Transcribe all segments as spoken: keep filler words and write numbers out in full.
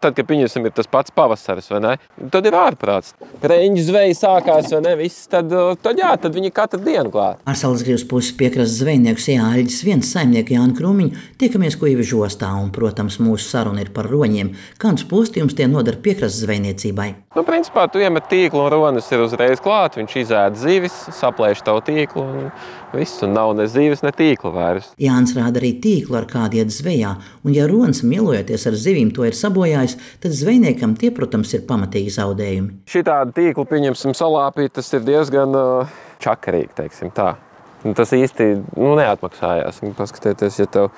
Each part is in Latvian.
Tad, kad pieņemsim, ir tas pats pavasaris, vai ne? Tad ir ārprāts. Reņģu zveja sākās, vai ne? Viss, tad, tad jā, tad viņi katru dienu klāt. Ar Salacgrīvas puses piekrastes zvejnieku Sijā Aļģis viens saimnieku Jānu Krūmiņu tiekamies Kuivižu ostā, un, protams, mūsu saruna ir par roņiem. Kādus postījumus tie nodara piekrastes zvejniecībai? Nu, principā, tu iemet tīklu un ronis ir uzreiz klāt, viņš izēd zivis, saplēš tavu tīklu un viss, un nav ne zivis, ne tīkla vairs. Jānis rāda arī tīklu, ar kādu iet zvejā, un ja ronis mielojoties ar zivīm to ir sabojājis, tad zvejniekam tie, protams, ir pamatīgi zaudējumi. Šitādu tīklu, pieņemsim, salāpīt, tas ir diezgan uh, čakarīgi, teiksim tā. Tas īsti nu, neatmaksājās. Paskatieties, ja tev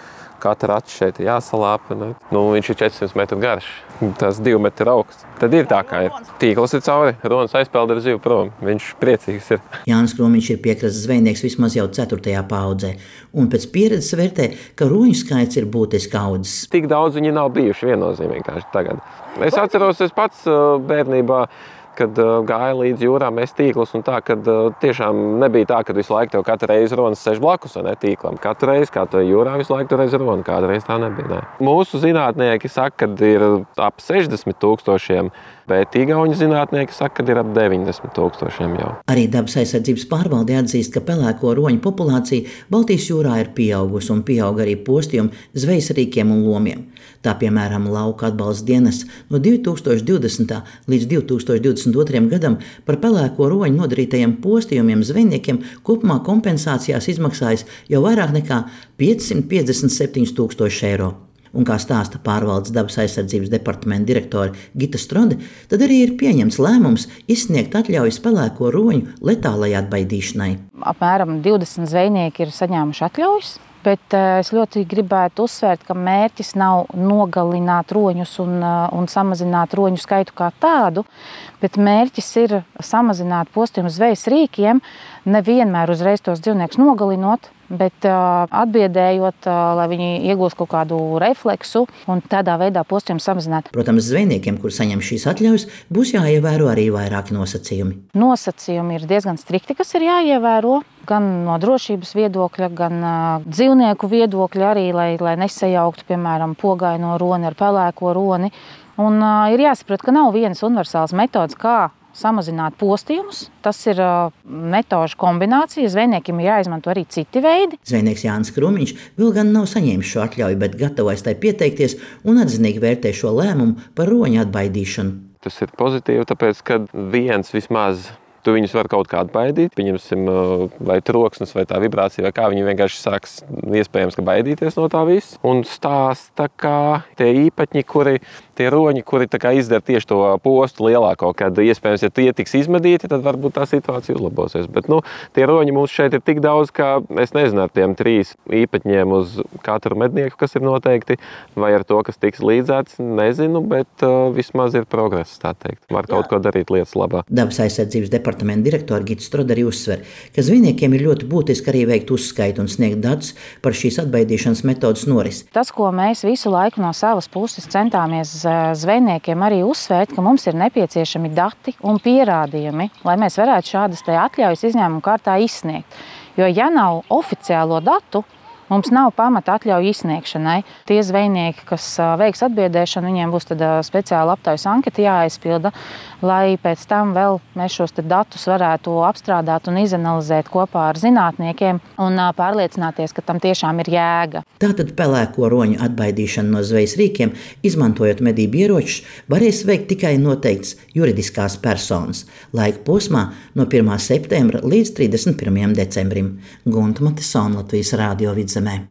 katra acis šeit ir jāsalāpa, ne? Nu, viņš ir četrsimt metru garš, tas divi metri augsts. Tad ir tā, kā ir. Tīkls ir cauri, ronis aizpeld ar zivu prom. Viņš priecīgs ir. Jānis Krūmiņš ir piekrastes zvejnieks vismaz jau ceturtajā paudzē, un pēc pieredzes vērtē, ka roņu skaits ir būtiski audzis. Tik daudz viņi nav bijuši viennozīmīgi kā tagad. Es atceros, es pats bērnībā, kad uh, gāja līdz jūrām, mēs tīklus un tā, kad uh, tiešām nebija tā, ka visu laiku tev katru reizi ronis sēž blakus, vai ne, tīklam. Katru reizi, kā tu jūrā, visu laiku tu reizi roni, kādu reizi tā nebija, ne. Mūsu zinātnieki saka, kad ir ap sešdesmit tūkstošiem, bet igauņu zinātnieki saka, kad ir ap deviņdesmit tūkstošiem jau. Arī Dabas aizsardzības pārvalde atzīst, ka pelēko roņu populācija Baltijas jūrā ir pieaugusi un pieauga arī postījumi zvejas rīkiem un lomiem. Tā, piemēram, lauka atbalsta dienests no divi tūkstoši divdesmitā līdz divi tūkstoši divdesmit otrajam gadam par pelēko roņu nodarītajiem postījumiem zvejniekiem kopumā kompensācijās izmaksājas jau vairāk nekā piecsimt piecdesmit septiņi tūkstoši eiro. Un, kā stāsta pārvaldes Dabas aizsardzības departamenta direktore Gita Strode, tad arī ir pieņemts lēmums izsniegt atļaujas pelēko roņu letālai atbaidīšanai. Apmēram divdesmit zvejnieki ir saņēmuši atļaujas, bet es ļoti gribētu uzsvērt, ka mērķis nav nogalināt roņus un, un samazināt roņu skaitu kā tādu, bet mērķis ir samazināt postījumu zvejas rīkiem, nevienmēr uzreiz tos dzīvniekus nogalinot, bet uh, atbiedējot, uh, lai viņi iegūst kaut kādu refleksu un tādā veidā postījumu samazināt. Protams, zvejniekiem, kur saņem šīs atļaujas, būs jāievēro arī vairāki nosacījumi. Nosacījumi ir diezgan strikti, kas ir jāievēro, gan no drošības viedokļa, gan uh, dzīvnieku viedokļa arī, lai, lai nesajauktu, piemēram, pogaino roni ar pelēko roni. Un uh, ir jāsaprot, ka nav vienas universālas metodas, kā samazināt postījumus. Tas ir uh, metožu kombinācija. Zvejniekiem ir jāizmanto arī citi veidi. Zvejnieks Jānis Krūmiņš vēl gan nav saņēmis šo atļauju, bet gatavais tai pieteikties un atzinīgi vērtē šo lēmumu par roņu atbaidīšanu. Tas ir pozitīvi, tāpēc, ka viens vismaz tu viņus var kaut kādu baidīt, pieņemsim, vai troksnis, vai tā vibrācija, vai kā viņi vienkārši sāks iespējams, ka baidīties no tā viss. Un stāsta, kā tie īpaņi, kuri, tie roņi, kuri tā kā izdara tieši to postu lielāko, kad iespējams, ja tie tiks izmedīti, tad varbūt tā situācija uzlabosies. Bet, nu, tie roņi mums šeit ir tik daudz, ka es nezinu ar tiem trīs īpaņiem uz katru mednieku, kas ir noteikti, vai ar to, kas tiks līdzēts, nezinu, bet uh, vismaz ir progress, tā teikt. Var kaut Jā. Ko darīt lietas labā. Dabas aizsardzības departamenta direktora Gita Strode arī uzsver, ka zvejniekiem ir ļoti būtiski arī veikt uzskaitu un sniegt datus par šīs atbaidīšanas metodas norisi. Tas, ko mēs visu laiku no savas puses centāmies zvejniekiem arī uzsvērt, ka mums ir nepieciešami dati un pierādījumi, lai mēs varētu šādas te atļaujas izņēmumu kārtā izsniegt. Jo ja nav oficiālo datu, mums nav pamata atļauju izsniegšanai. Tie zvejnieki, kas veiks atbiedēšanu, viņiem būs tad speciāla aptaujas anketa jāaizpilda, lai pēc tam vēl mēs šos datus varētu apstrādāt un izanalizēt kopā ar zinātniekiem un pārliecināties, ka tam tiešām ir jēga. Tātad pelēko roņu atbaidīšanu no zvejas rīkiem, izmantojot medību ieročus, varēs veikt tikai noteikts juridiskās personas. Laika posmā no pirmā septembra līdz trīsdesmit pirmajam decembrim. Gunta Matesona, Latvijas Rādio Vidzemē.